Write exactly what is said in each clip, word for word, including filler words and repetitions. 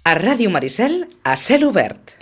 A Ràdio Maricel, a cel obert.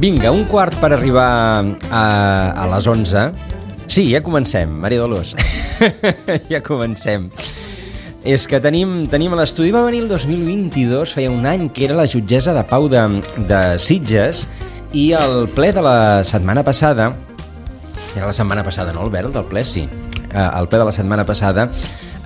Vinga, un quart per arribar a, a les onze. Sí, ja comencem, Maria Dolors. Ja comencem. És que tenim, tenim a l'estudi, va venir el dos mil vint-i-dos, feia un any, que era la jutgessa de pau de, de Sitges, i el ple de la setmana passada, era la setmana passada, no, Albert, el del ple, sí, el ple de la setmana passada,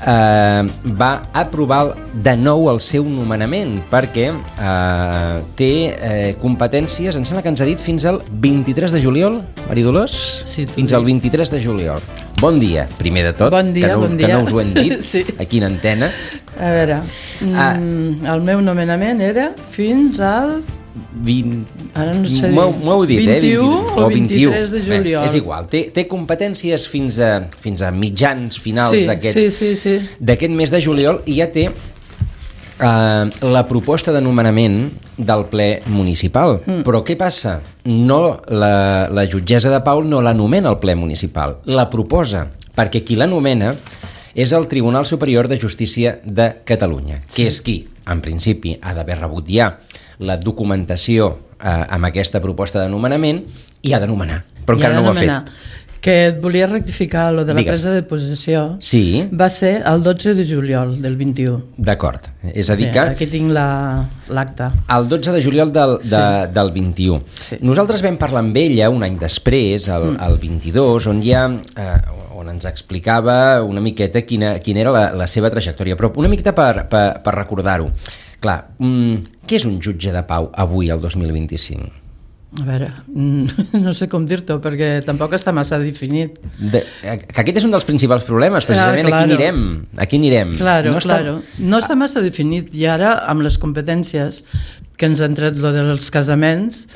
eh, va aprovar de nou el seu nomenament, perquè eh, té eh, competències, em sembla que ens ha dit fins al vint-i-tres de juliol, Maria Dolors? Sí, fins al vint-i-tres de juliol. Bon dia, primer de tot, bon dia, que, no, bon que dia. no us ho hem dit, sí. Aquí en antena. A veure, ah. mm, el meu nomenament era fins al... vint... Ara no sé dir. M'ho heu dit, vint-i-u eh? vint-i-u o vint-i-tres de juliol. Bé, és igual, té, té competències fins a, fins a mitjans finals sí, d'aquest sí, sí, sí. d'aquest mes de juliol, i ja té Uh, la proposta de nomenament del ple municipal. Mm. Però què passa? No, la, la jutgessa de pau no l'anomena el ple municipal, la proposa, perquè qui l'anomena és el Tribunal Superior de Justícia de Catalunya, sí. que és qui, en principi, ha d'haver rebut ja la documentació uh, amb aquesta proposta de nomenament i ha de nomenar, però encara no ho ha fet. Que et volia rectificar, lo de la Digues. presa de possessió, sí. va ser el dotze de juliol del vint-i-u. D'acord, és a dir Bé, que... aquí tinc l'acta. La, el dotze de juliol del, de, sí. del vint-i-u. Sí. Nosaltres vam parlar amb ella un any després, el, mm. el vint-i-dos, on ja... Eh, on ens explicava una miqueta quina, quina era la, la seva trajectòria, però una miqueta per, per, per recordar-ho. Clar, mm, què és un jutge de pau avui, el dos mil vint-i-cinc? A veure, no sé com dir-t'ho, perquè tampoc està massa definit. De, que aquest és un dels principals problemes, precisament. Ah, claro. Aquí anirem. Aquí anirem. Claro, no està... claro. No està massa definit, i ara, amb les competències que ens han tret lo dels casaments,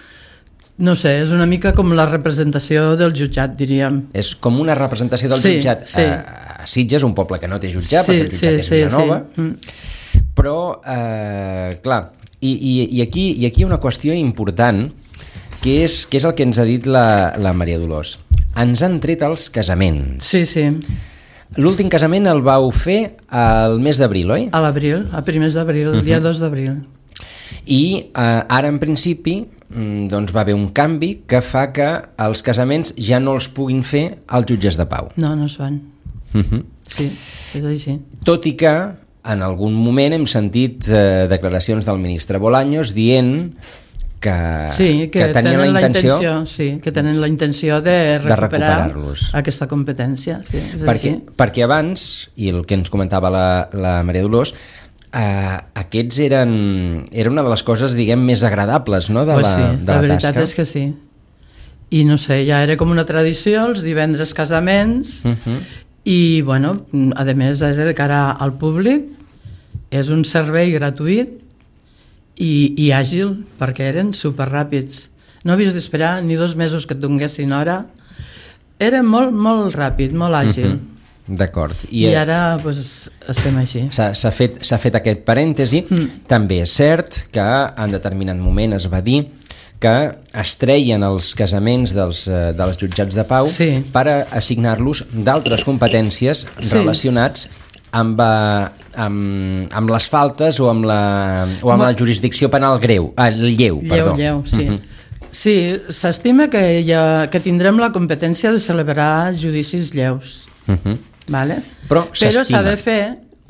no sé, és una mica com la representació del jutjat, diríem. És com una representació del sí, jutjat sí. a, a Sitges, un poble que no té jutjat, sí, perquè el jutjat sí, és sí, Vilanova. Sí. Mm. Però, eh, clar, i, i, i, aquí, i aquí hi ha una qüestió important, que és, que és el que ens ha dit la, la Maria Dolors. Ens han tret els casaments. Sí, sí. L'últim casament el vau fer al mes d'abril, oi? A l'abril, a primers d'abril, el uh-huh. dia dos d'abril. I eh, ara, en principi, doncs va haver un canvi que fa que els casaments ja no els puguin fer els jutges de pau. No, no es fan. Uh-huh. Sí, és així. Tot i que en algun moment hem sentit eh, declaracions del ministre Bolaños dient que, sí, que, que tenien la intenció, la intenció sí, que tenen la intenció de recuperar de recuperar-los. Aquesta competència. Sí, és perquè, així. perquè abans, i el que ens comentava la, la Maria Dolors, eh, aquests eren era una de les coses, diguem, més agradables, no?, de, pues la, sí, de la, la veritat tasca. És que sí. I no sé, ja era com una tradició, els divendres casaments, uh-huh. i, bueno, a més, era de cara al públic, és un servei gratuït, I, i àgil, perquè eren superràpids. No havies d'esperar ni dos mesos que et donguessin hora. Era molt, molt ràpid, molt àgil. Uh-huh. D'acord. I, I ara pues, estem així. S'ha, s'ha, fet, s'ha fet aquest parèntesi. Mm. També és cert que en determinat moment es va dir que es treien els casaments dels, dels jutjats de pau sí. per assignar-los d'altres competències sí. relacionats amb, amb, amb les faltes o amb la, o amb la jurisdicció penal greu, ah, lleu, lleu, perdó. Lleu, sí. Uh-huh. Sí, s'estima que, ha, que tindrem la competència de celebrar judicis lleus. Uh-huh. Vale? Però, Però s'ha de fer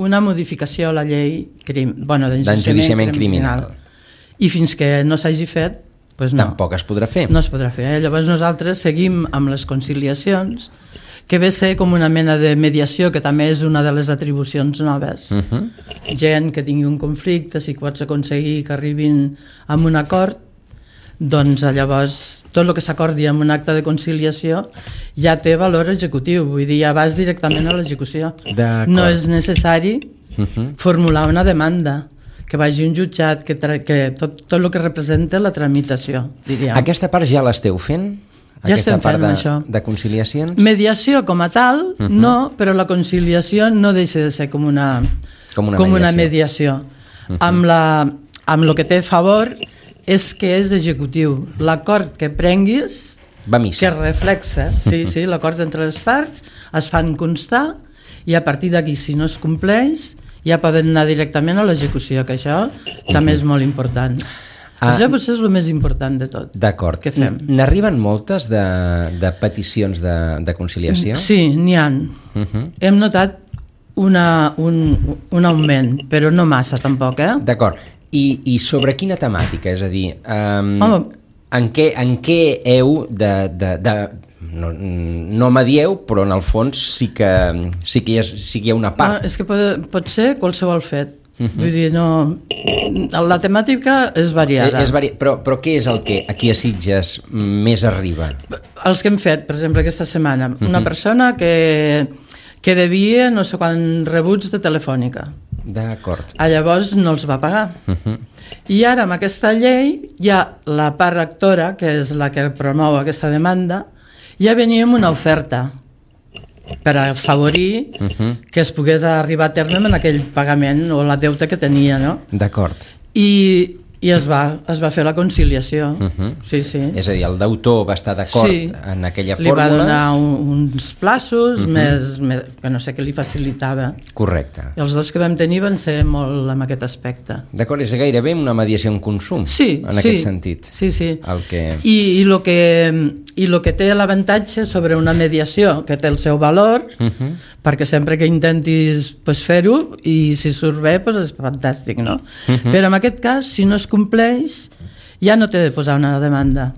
una modificació a la llei crim, bueno, d'enjudiciament criminal. criminal. I fins que no s'hagi fet, pues no. Tampoc es podrà fer. No es podrà fer. Eh? Llavors nosaltres seguim amb les conciliacions, que ve a ser com una mena de mediació, que també és una de les atribucions noves. Uh-huh. Gent que tingui un conflicte, si pots aconseguir que arribin a un acord, doncs llavors tot el que s'acordi en un acte de conciliació ja té valor executiu, vull dir, ja vas directament a l'execució. No és necessari uh-huh. formular una demanda, que vagi un jutjat, que, tra- que tot, tot el que representa la tramitació, diríem. Aquesta part ja l'esteu fent? Ja estem part fent de, això. De conciliacions? Mediació com a tal, uh-huh. no, però la conciliació no deixa de ser com una, com una com mediació. Una mediació. Uh-huh. Amb, la, amb el que té a favor és que és executiu. L'acord que prenguis, va missa. Que reflexa, sí, sí, l'acord entre les parts, es fan constar i a partir d'aquí, si no es compleix, ja poden anar directament a l'execució, que això també és molt important. Ah, això potser és el més important de tot. D'acord. Que fem. N'arriben moltes de, de peticions de, de conciliació? Sí, n'hi ha. Uh-huh. Hem notat una, un, un augment, però no massa tampoc, eh? D'acord. I, I sobre quina temàtica? És a dir, um, en, què, en què heu de... de, de no, no m'adieu, però en el fons sí que, sí que, hi, ha, sí que hi ha una part. No, és que pot, pot ser qualsevol fet. Uh-huh. Vull dir, no... La temàtica és variada. És vari... però, però què és el que aquí a Sitges més arriba? Els que hem fet, per exemple, aquesta setmana. Uh-huh. Una persona que, que devia no sé quants rebuts de Telefònica. D'acord. A llavors no els va pagar. Uh-huh. I ara amb aquesta llei hi ha la part rectora, que és la que promou aquesta demanda, ja venia amb una oferta per afavorir uh-huh. que es pogués arribar a terme en aquell pagament o la deuta que tenia, no? D'acord. I, i es, va, es va fer la conciliació. Uh-huh. Sí, sí. És a dir, el deutor va estar d'acord sí. en aquella li fórmula. Li va donar un, uns plaços uh-huh. més, més, que no sé què li facilitava. Correcte. I els dos que vam tenir van ser molt en aquest aspecte. D'acord, és gairebé una mediació en consum, sí, en sí, aquest sentit. Sí, sí. El que... I, i, lo que, i lo que té l'avantatge sobre una mediació, que té el seu valor, uh-huh. perquè sempre que intentis pues, fer-ho, i si surt bé, pues, és fantàstic, no? Uh-huh. Però en aquest cas, si no es compleix, ja no té de posar una demanda,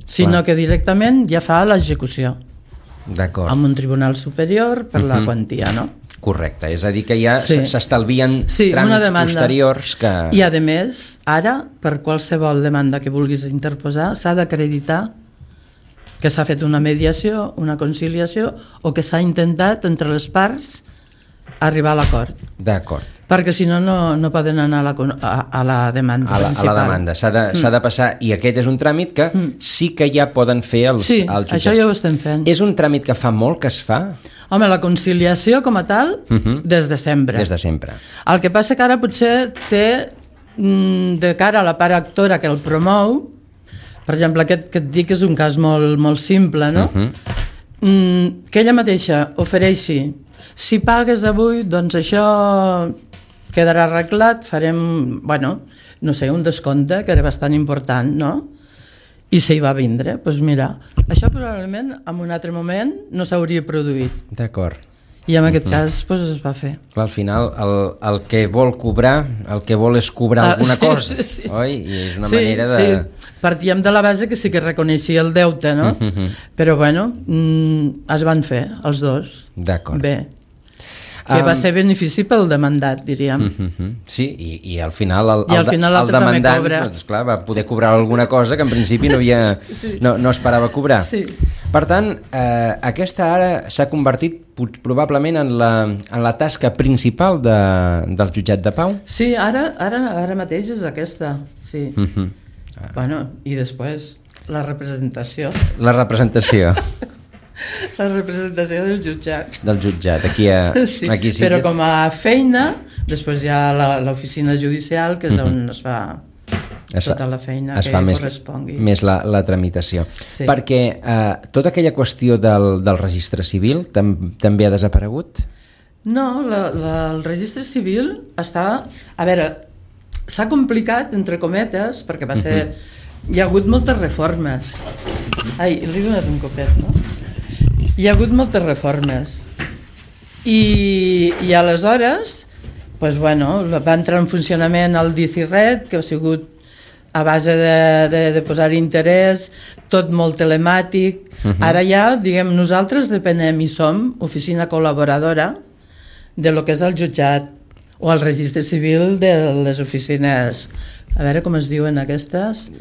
sinó Clar. que directament ja fa l'execució. D'acord. Amb un tribunal superior per uh-huh. la quantia, no? Correcte, és a dir que ja sí. s'estalvien sí, tràmits posteriors que... I a més, ara, per qualsevol demanda que vulguis interposar, s'ha d'acreditar que s'ha fet una mediació, una conciliació, o que s'ha intentat entre les parts arribar a l'acord. D'acord. Perquè si no, no, no poden anar a la, a, a la demanda a la, principal. A la demanda, s'ha de, mm. s'ha de passar, i aquest és un tràmit que mm. sí que ja poden fer els, sí, els jutjats. això ja ho estem fent. És un tràmit que fa molt que es fa? Home, la conciliació com a tal, uh-huh. des de sempre. Des de sempre. El que passa que ara potser té, de cara a la part actora que el promou, per exemple, aquest que et dic és un cas molt, molt simple, no? Uh-huh. Que ella mateixa ofereixi, si pagues avui, doncs això quedarà arreglat, farem, bueno, no sé, un descompte, que era bastant important, no? I s'hi va vindre, doncs mira, això probablement en un altre moment no s'hauria produït. D'acord. I en aquest cas doncs, es va fer. Clar, al final el, el que vol cobrar, el que vol és cobrar ah, alguna sí, cosa, sí. oi? I és una sí, manera de... Sí, partíem de la base que sí que reconeixia el deute, no? Uh-huh. Però bueno, mm, es van fer els dos. D'acord. Bé. Que um, va ser benefici pel demandat, diríem. Uh-huh. Sí, i, i al final el, I al final el, el demandant doncs, clar, va poder cobrar alguna cosa que en principi no, havia, sí. no, no esperava cobrar. Sí. Per tant, eh, aquesta ara s'ha convertit probablement en la, en la tasca principal de, del jutjat de pau? Sí, ara, ara, ara mateix és aquesta, sí. Uh-huh. Ah. Bueno, i després la representació. La representació. La representació del jutjat. Del jutjat, aquí a, sí, aquí sí però que... com a feina, després hi ha l'oficina judicial, que és on uh-huh. es fa es tota fa, la feina es que fa més, correspongui. Més la, la tramitació. Sí. Perquè eh, tota aquella qüestió del, del registre civil tam, també ha desaparegut? No, la, la, el registre civil està... A veure, s'ha complicat, entre cometes, perquè va ser... Uh-huh. hi ha hagut moltes reformes. Ai, li he donat un copet, no? Hi ha hagut moltes reformes. I, i aleshores, pues bueno, va entrar en funcionament el D C Red, que ha sigut a base de, de, de posar interès, tot molt telemàtic. Uh-huh. Ara ja, diguem, nosaltres depenem i som oficina col·laboradora de lo que és el jutjat o el registre civil de les oficines. A veure com es diuen aquestes.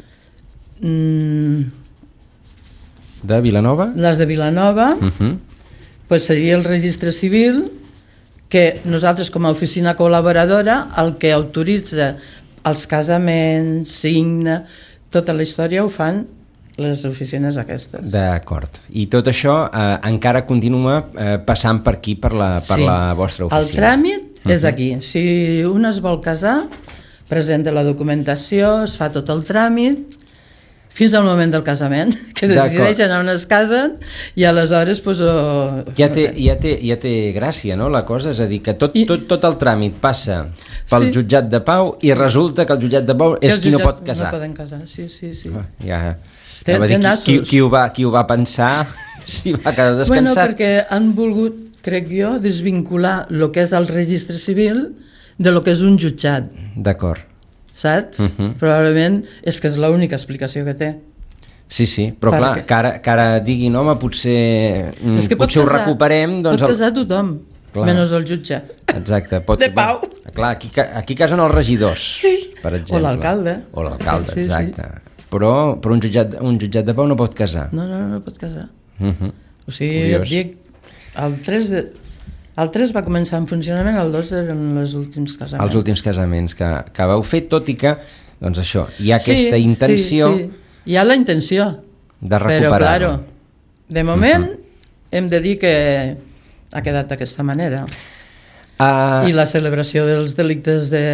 Mm. De Vilanova? Les de Vilanova. Uh-huh. Pues seria el registre civil, que nosaltres com a oficina col·laboradora el que autoritza els casaments, signa, tota la història ho fan les oficines aquestes. D'acord. I tot això eh, encara continua eh, passant per aquí, per la, per sí. la vostra oficina. El tràmit uh-huh. és aquí. Si un es vol casar, presenta la documentació, es fa tot el tràmit, fins al moment del casament, que decideixen on es casen i aleshores pues, oh, ja, té, ja, té, ja té gràcia, no?, la cosa, és a dir, que tot, I... tot, tot el tràmit passa pel sí. jutjat de pau i sí. resulta que el jutjat de pau és qui no pot casar. No poden casar, sí, sí, sí. Ah, ja, ja va dir, qui, qui, ho va, qui ho va pensar si va quedar descansat. Bueno, perquè han volgut, crec jo, desvincular el que és el registre civil de lo que és un jutjat. D'acord. Saps? Uh-huh. Probablement és que és l'única explicació que té. Sí, sí, però perquè... clar, que ara, que ara diguin, home, potser, és que potser casar, ho recuperem... Doncs pot el... casar tothom, clar. Menys el jutge. Exacte. Pot... De pau. Clar, aquí, aquí casen els regidors, sí. per exemple. O l'alcalde. O l'alcalde, sí, sí, exacte. Sí. Però, però un, jutjat, un jutjat de pau no pot casar. No, no, no, no pot casar. Uh-huh. O sigui, jo dic, el tres de... El tres va començar en funcionament, el dos eren els últims casaments. Els últims casaments que, que vau fer, tot i que, doncs això, hi ha aquesta sí, intenció... Sí, sí. Hi ha la intenció. De recuperar-ho. Però, claro, de moment uh-huh. hem de dir que ha quedat d'aquesta manera. Uh... I la celebració dels delictes de,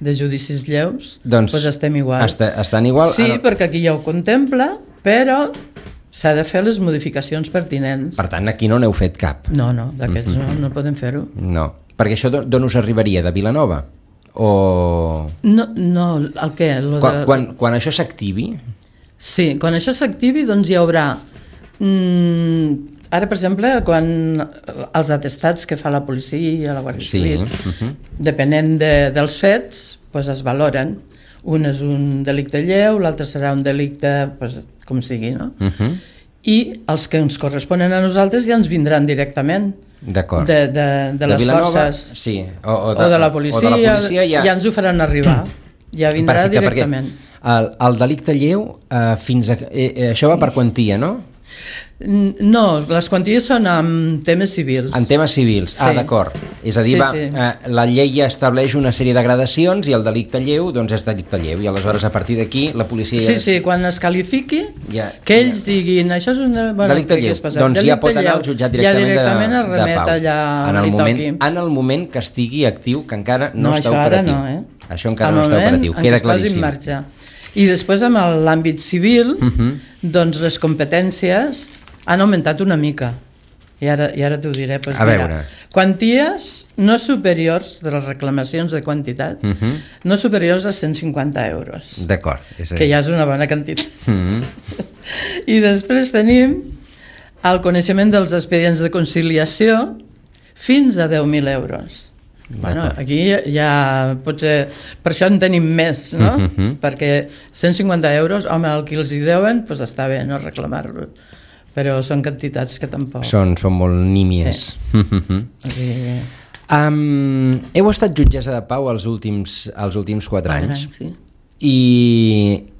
de judicis lleus, doncs pues estem igual. Està, estan igual. Sí, ara... perquè aquí ja ho contempla, però... s'ha de fer les modificacions pertinents. Per tant, aquí no n'heu fet cap. No, no, d'aquests mm-hmm. no, no podem fer-ho. No, perquè això d'on us arribaria? De Vilanova? O... No, no, el què? Lo quan, de... quan, quan això s'activi? Sí, quan això s'activi, doncs hi haurà... Mm, ara, per exemple, quan els atestats que fa la policia, la Guàrdia Civil, sí. uh-huh. depenent de, dels fets, doncs es valoren. Un és un delicte lleu, l'altre serà un delicte, pues, com sigui, no? Uh-huh. I els que ens corresponen a nosaltres ja ens vindran directament. D'acord. De, de, de, de les Vilanova, forces sí. o, o, de, o de la policia, o de la policia ja... ja ens ho faran arribar. Ja vindrà perfecte, directament. El, el delicte lleu, eh, fins a, eh, això va per quantia, no? No, les quanties són en temes civils. En temes civils, sí. Ah, d'acord. És a dir, sí, va, sí. Eh, la llei ja estableix una sèrie de gradacions i el delicte lleu doncs és delicte lleu i aleshores a partir d'aquí la policia... Sí, ja és... sí, quan es qualifiqui, ja, que ells ja. diguin això és una... Bueno, delicte lleu, doncs delicte ja pot anar al jutjat directament, ja directament de, es remet de pau. Allà en, el moment, en el moment que estigui actiu, que encara no, no està operatiu. No, eh? Això encara no està operatiu, queda claríssim. I després amb l'àmbit civil, uh-huh. doncs les competències han augmentat una mica i ara, i ara t'ho diré. Pues a mira, veure. Quanties no superiors de les reclamacions de quantitat, uh-huh. no superiors a cent cinquanta euros. D'acord. Que ja és una bona quantitat. Uh-huh. I després tenim el coneixement dels expedients de conciliació fins a deu mil euros. Bueno, aquí ja potser per això en tenim més, no? Uh-huh. Perquè cent cinquanta euros, home, el que els hi deuen, doncs està bé no reclamar-los, però són quantitats que tampoc... Són, són molt nímies. Sí. Uh-huh. Aquí... um, heu estat jutgessa de pau els últims, els últims quatre anys, anys sí. i,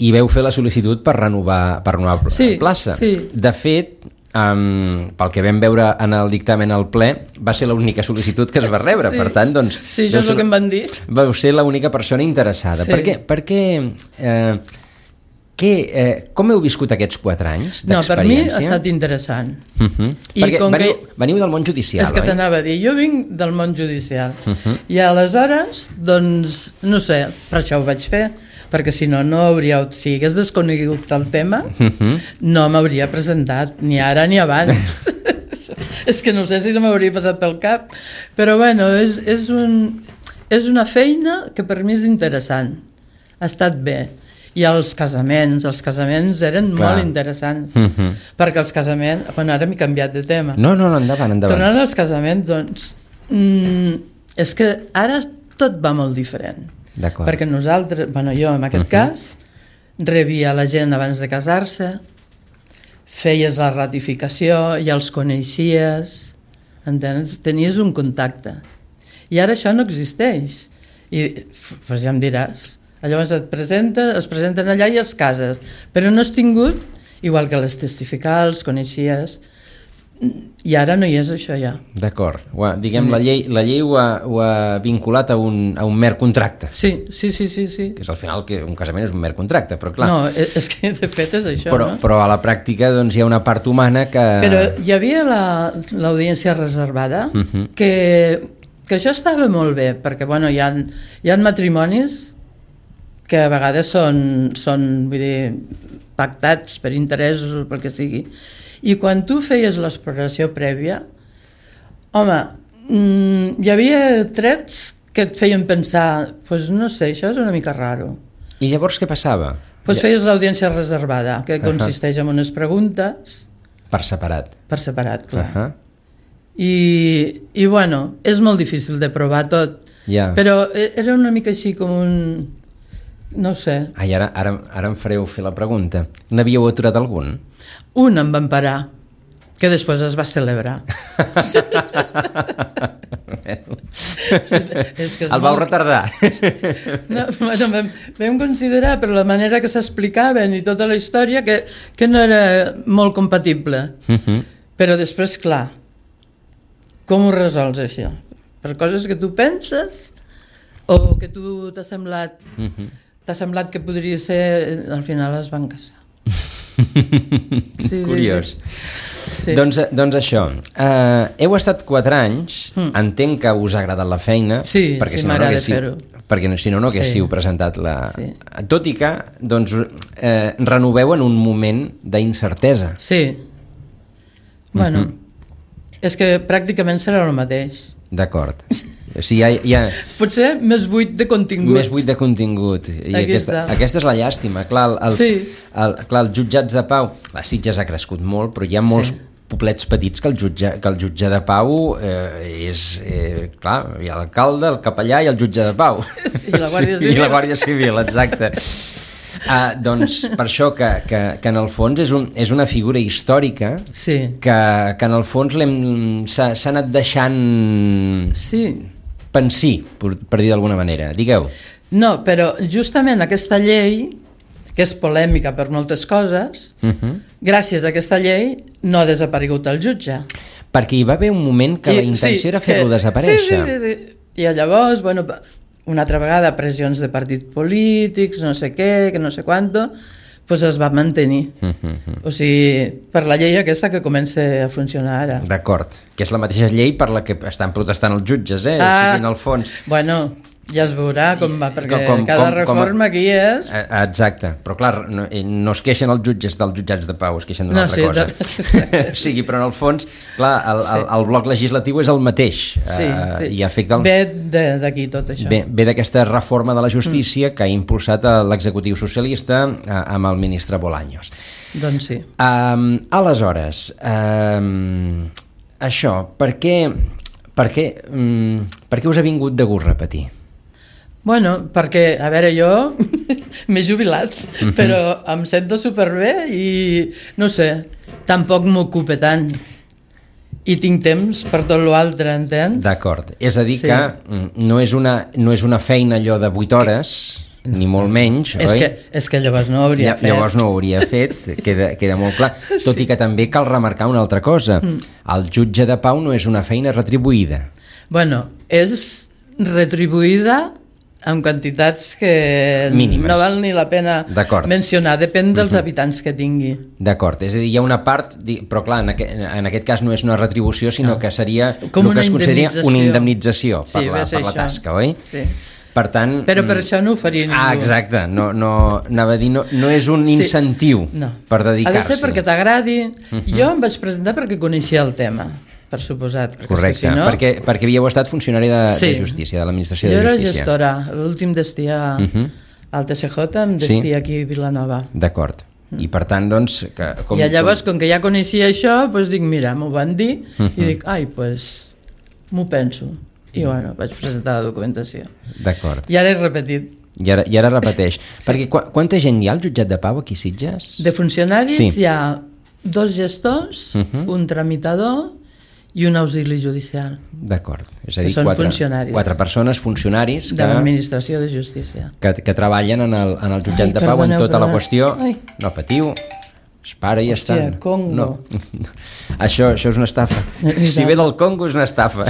i veu fer la sol·licitud per renovar, per renovar sí, plaça. Sí. De fet, Um, pel que vam veure en el dictamen al ple, va ser l'única sol·licitud que es va rebre, sí. Per tant, doncs... Sí, això és el que em van dir. Vau ser l'única persona interessada. Sí. Per què... Per què eh, què, eh, com heu viscut aquests quatre anys d'experiència? No, per mi ha estat interessant. Uh-huh. I perquè com veniu, que... veniu del món judicial, és que oi? t'anava a dir, jo vinc del món judicial. Uh-huh. I aleshores, doncs, no sé, per això ho vaig fer, perquè si no, no hauria, si hagués desconegut el tema, uh-huh. no m'hauria presentat, ni ara ni abans. És que no sé si se m'hauria passat pel cap, però bueno, és, és, un, és una feina que per mi és interessant, ha estat bé. I els casaments, els casaments eren Clar. molt interessants, Uh -huh. perquè els casaments... Bueno, ara m'he canviat de tema. No, no, no, endavant, endavant. Tornant als casaments, doncs, mm, és que ara tot va molt diferent. D'acord. Perquè nosaltres, bueno, jo en aquest uh -huh. cas, rebia la gent abans de casar-se, feies la ratificació, ja els coneixies, entens? Tenies un contacte. I ara això no existeix. I pues ja em diràs, llavors et presenta, es presenten allà i es cases, però no has tingut, igual que les testificals, coneixies, i ara no hi és això ja. D'acord. Diguem, la llei, la llei ho, ha, ho ha vinculat a un, a un mer contracte. Sí, sí, sí, sí, sí. Que és al final que un casament és un mer contracte, però clar... No, és que de fet és això, però, no? Però a la pràctica doncs, hi ha una part humana que... Però hi havia la, l'audiència reservada, Uh-huh. que, que això estava molt bé, perquè bueno, hi ha, hi ha matrimonis que a vegades són, són vull dir, pactats per interessos o pel que sigui, i quan tu feies l'exploració prèvia, home, mmm, hi havia trets que et feien pensar, pues no sé, això és una mica raro. I llavors què passava? Pues feies l'audiència reservada, que consisteix en unes preguntes... Per separat. Per separat, clar. Uh-huh. I, i bueno, és molt difícil de provar tot, Ja. però era una mica així com un... no ho sé. Ai, ara, ara, ara em fareu fer la pregunta. N'havíeu aturat algun? Un em van parar, que després es va celebrar. Sí. És que és El vau molt... retardar. No, bueno, vam, vam considerar per la manera que s'explicaven i tota la història que, que no era molt compatible. Uh-huh. Però després, clar, com ho resols això? Per coses que tu penses o que tu t'ha semblat Uh-huh. t'ha semblat que podria ser, al final es van casar. Sí, Curiós. Sí, sí. Sí. Doncs, doncs això, uh, heu estat quatre anys, mm. entenc que us ha agradat la feina, Sí, perquè sí, si no, no m'agrada haguéssiu, fer-ho. perquè si no, no haguéssiu Sí. presentat la... Sí. Tot i que, doncs, eh, renoveu en un moment d'incertesa. Sí. Bueno, és que pràcticament serà el mateix. D'acord. O sigui, hi ha, hi ha Potser més buit de contingut. més buit de contingut. I Aquí aquesta, està. aquesta és la llàstima. Clar, el, els, Sí. el, clar, els jutjats de pau... La Sitges ha crescut molt, però hi ha molts Sí. poblets petits que el jutge, que el jutge de pau eh, és... Eh, clar, hi ha l'alcalde, el capellà i el jutge de pau. Sí, i la Guàrdia Sí, Civil. I la Guàrdia Civil, exacte. Ah, doncs per això que, que, que en el fons és, un, és una figura històrica Sí. que, que en el fons l'hem s'ha s'ha anat deixant Sí. pensir, per, per dir d'alguna manera. Digueu. No, però justament aquesta llei, que és polèmica per moltes coses, Uh-huh. gràcies a aquesta llei no ha desaparegut el jutge. Perquè hi va haver un moment que la intenció sí, era fer-lo que- desaparèixer. Sí, sí, sí, sí. I llavors, bueno, una altra vegada pressions de partits polítics, no sé què, que no sé quanto, pues es va mantenir. Uh-huh. O sigui, per la llei aquesta que comença a funcionar ara. D'acord, que és la mateixa llei per la que estan protestant els jutges, eh? Ah. O sigui, en el fons... Bueno, ja es veurà com va, perquè Com- com- cada com- com- reforma aquí és... Eh, Exacte, però clar, no, eh, no es queixen els jutges dels jutjats de pau, es queixen d'una No, altra sí, cosa. de- O sigui, però en el fons, clar, el, el, el bloc legislatiu és el mateix. Sí, eh, sí. I afecta el... Ve de- d'aquí tot això. Ve, ve d'aquesta reforma de la justícia mm. que ha impulsat eh, l'executiu socialista eh, amb el ministre Bolaños. Doncs sí. Um, aleshores, um, això, per què, per, què, um, per què us ha vingut de gust repetir? Bueno, perquè, a veure, jo m'he jubilat, mm-hmm. però em sento superbé i, no sé, tampoc m'ocupa tant. I tinc temps per tot l'altre, entens? D'acord, és a dir Sí. que mm, no és, una, no és una feina allò de vuit hores, no. Ni molt menys, És oi? que, és que llavors no ho hauria Lla- fet. Llavors no ho hauria fet, queda, queda molt clar. Tot Sí. i que també cal remarcar una altra cosa. Mm. El jutge de pau no és una feina retribuïda. Bueno, és retribuïda amb quantitats que Mínimes. no val ni la pena D'acord. mencionar, depèn dels uh-huh. habitants que tingui. D'acord, és a dir, hi ha una part, di- però clar, en aquest, en aquest cas no és una retribució, sinó No. que seria Com el que una es consideraria una indemnització Sí, per, la, ve a ser per la això. tasca, oi? Sí. Per tant... Però per mm, això no ho faria ningú. Ah, exacte, no, no, anava a dir, no, no és un Sí. incentiu No. per Ha de dedicar-s'hi. ser perquè t'agradi. Uh-huh. Jo em vaig presentar perquè coneixia el tema, per suposat. perquè és que Correcte, si no... perquè, perquè havíeu estat funcionari de, Sí. de justícia, de l'administració Jo de era justícia. gestora, l'últim destí a, Uh-huh. al T C J amb destí sí. aquí a Vilanova. D'acord. I per tant, doncs... Que, com, I llavors, com... com que ja coneixia això, doncs dic, mira, m'ho van dir, uh -huh. i dic, ai, doncs m'ho penso. I bueno, vaig presentar la documentació. D'acord. I ara he repetit. I ara, i ara repeteix. Sí. Perquè qu quanta gent hi ha al jutjat de pau aquí a Sitges? De funcionaris sí. hi ha dos gestors, uh -huh. un tramitador i un auxili judicial. D'acord. És a dir, que són quatre, funcionaris. quatre persones, funcionaris... Que, de l'administració de justícia. Que, que treballen en el, en el jutjat Ai, de pau perdoneu, en tota perdoneu. la qüestió... Ai. No patiu, es para i Hòstia, estan. Congo. No. això, això és una estafa. Si ve del Congo és una estafa.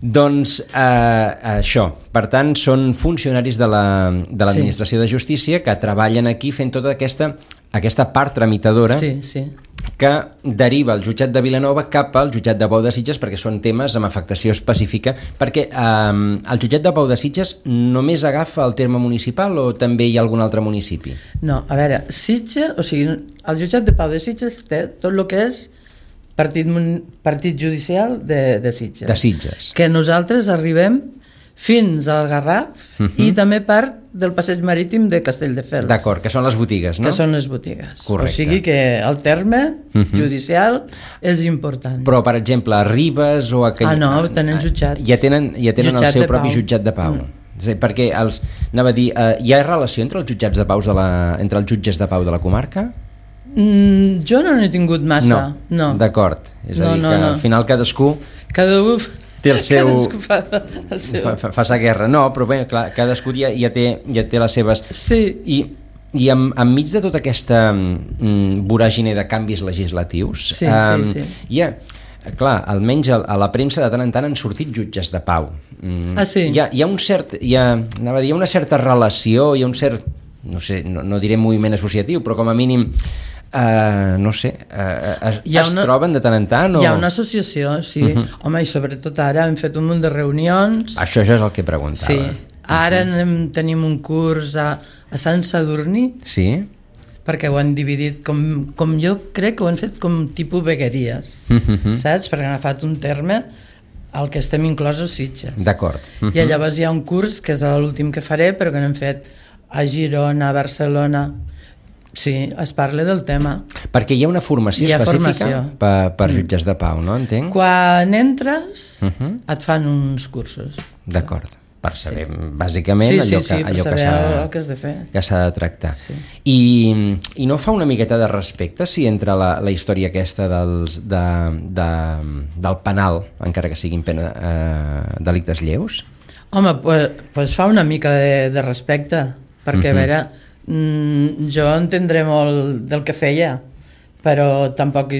Doncs eh, això, per tant, són funcionaris de l'administració la, de, sí. de justícia que treballen aquí fent tota aquesta, aquesta part tramitadora sí, sí. que deriva el jutjat de Vilanova cap al jutjat de Pau de Sitges perquè són temes amb afectació específica, perquè eh, el jutjat de Pau de Sitges només agafa el terme municipal o també hi ha algun altre municipi? No, a veure, Sitges, o sigui, el jutjat de Pau de Sitges té tot el que és Partit, partit judicial de, de Sitges. De Sitges. Que nosaltres arribem fins al Garraf uh -huh. i també part del passeig marítim de Castelldefels. D'acord, que són les botigues, no? Que són les botigues. Correcte. O sigui que el terme uh -huh. judicial és important. Però, per exemple, a Ribes o a... Cany... Ah, no, tenen jutjats. Ja tenen, ja tenen el seu propi pau. jutjat de pau. Mm. Sí, perquè els, anava a dir, eh, hi ha relació entre els jutjats de pau de la, entre els jutges de pau de la comarca? Mm, jo no n'he tingut massa. No, no. D'acord. És a no, dir, no, que no. al final cadascú... Cadascú té el seu... Cadascú fa el seu... Fa, fa, fa sa guerra. No, però bé, clar, cadascú ja, ja, té, ja té les seves... Sí. I, i en, enmig de tota aquesta mm, voràgine de canvis legislatius... Sí, um, sí, sí. Hi ha... Clar, almenys a, a la premsa de tant en tant han sortit jutges de pau. Mm, ah, sí? Hi ha, hi ha un cert... Hi ha, anava a dir, hi ha una certa relació, hi ha un cert... No sé, no, no diré moviment associatiu, però com a mínim... Uh, no sé, uh, es, es una, troben de tant en tant? O... Hi ha una associació, sí. Uh -huh. Home, i sobretot ara hem fet un munt de reunions. Això ja és el que preguntava. Sí. Ara uh -huh. anem, tenim un curs a, a Sant Sadurní. Sí. Perquè ho han dividit, com, com jo crec que ho han fet com tipus vegueries, uh -huh. saps? Perquè han agafat un terme al que estem inclosos Sitges. D'acord. Uh -huh. I llavors hi ha un curs, que és l'últim que faré, però que n'hem fet a Girona, a Barcelona... Sí, es parla del tema. Perquè hi ha una formació ha específica formació. per, per jutges de pau, no? Entenc? Quan entres, uh -huh. et fan uns cursos. D'acord. Per saber, sí. bàsicament, sí, allò, sí, sí, que, allò per que saber el que has de fer. Que s'ha de tractar. Sí. I, I no fa una miqueta de respecte si entre la, la història aquesta dels, de, de, del penal, encara que siguin pena, eh, delictes lleus? Home, pues, pues fa una mica de, de respecte, perquè uh -huh. a veure... Mm, jo entendré molt del que feia, però tampoc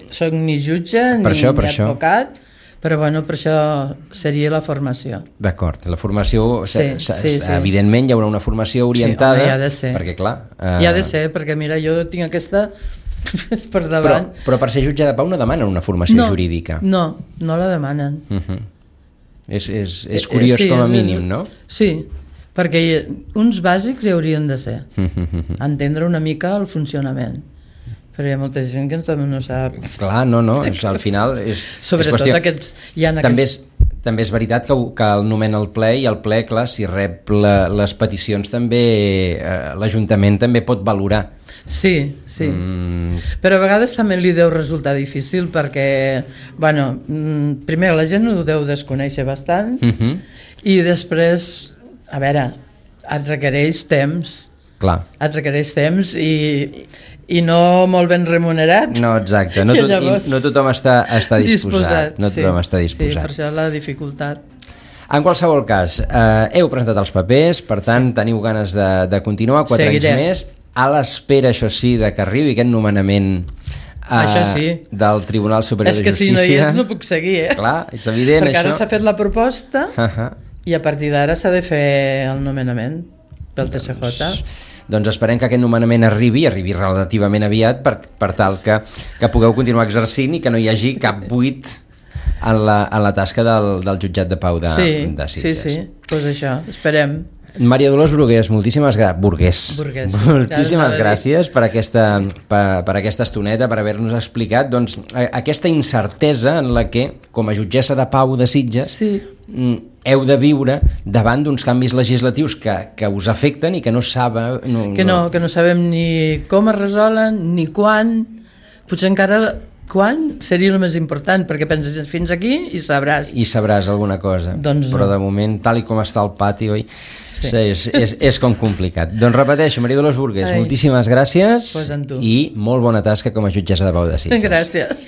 soc ni jutge ni, això, ni això. advocat, però bueno, per això seria la formació. D'acord, la formació, sí, sí, sí. evidentment hi haurà una formació orientada, sí, home, hi ha de ser. perquè clar... Eh... Hi ha de ser, perquè mira, jo tinc aquesta per davant. Però, però per ser jutge de pau no demanen una formació no, jurídica. No, no la demanen. Uh -huh. és, és, és curiós sí, com a és, mínim, és, no? Sí, perquè uns bàsics hi haurien de ser, entendre una mica el funcionament, però hi ha molta gent que també no sap. Clar, no, no, és, al final és, sobretot és qüestió... aquests, hi ha també, aquests... és, també és veritat que, que el nomena el ple, i el ple, clar, si rep la, les peticions també, eh, l'Ajuntament també pot valorar. Sí, sí, mm. però a vegades també li deu resultar difícil perquè, bueno, primer la gent ho deu desconèixer bastant, uh -huh. i després, a veure, et requereix temps. Clar. Et requereix temps i, i no molt ben remunerat. No, exacte. No, tot, llavors, no tothom està, està disposat. disposat. No tothom sí, està disposat. Sí, per això la dificultat. En qualsevol cas, eh, heu presentat els papers, per tant, sí. teniu ganes de, de continuar quatre Seguirem. anys més, a l'espera, això sí, de que arribi aquest nomenament Uh, això sí. del Tribunal Superior de Justícia. És que si no hi és no puc seguir, eh? Clar, és evident, perquè això. ara s'ha fet la proposta uh -huh. i a partir d'ara s'ha de fer el nomenament pel T C J. Doncs, doncs esperem que aquest nomenament arribi, arribi relativament aviat per, per tal que, que pugueu continuar exercint i que no hi hagi cap buit en la, en la tasca del, del jutjat de pau de, sí, de Sitges. Sí, sí, doncs pues això, esperem. Maria Dolors Brugués, moltíssimes, gra... Burgués. Burgués. moltíssimes gràcies per aquesta, per, per aquesta estoneta, per haver-nos explicat doncs, aquesta incertesa en la que, com a jutgessa de pau de Sitges, sí. heu de viure davant d'uns canvis legislatius que, que us afecten i que no sabe... No, que, no, que no sabem ni com es resolen, ni quan, potser encara quan seria el més important, perquè penses fins aquí i sabràs. I sabràs alguna cosa, doncs però no. De moment, tal i com està el pati, oi? Sí. És, és, és com complicat. Doncs repeteixo, Maria Dolors Burgues, Ai. moltíssimes gràcies pues i molt bona tasca com a jutgessa de pau de Sitges. Gràcies.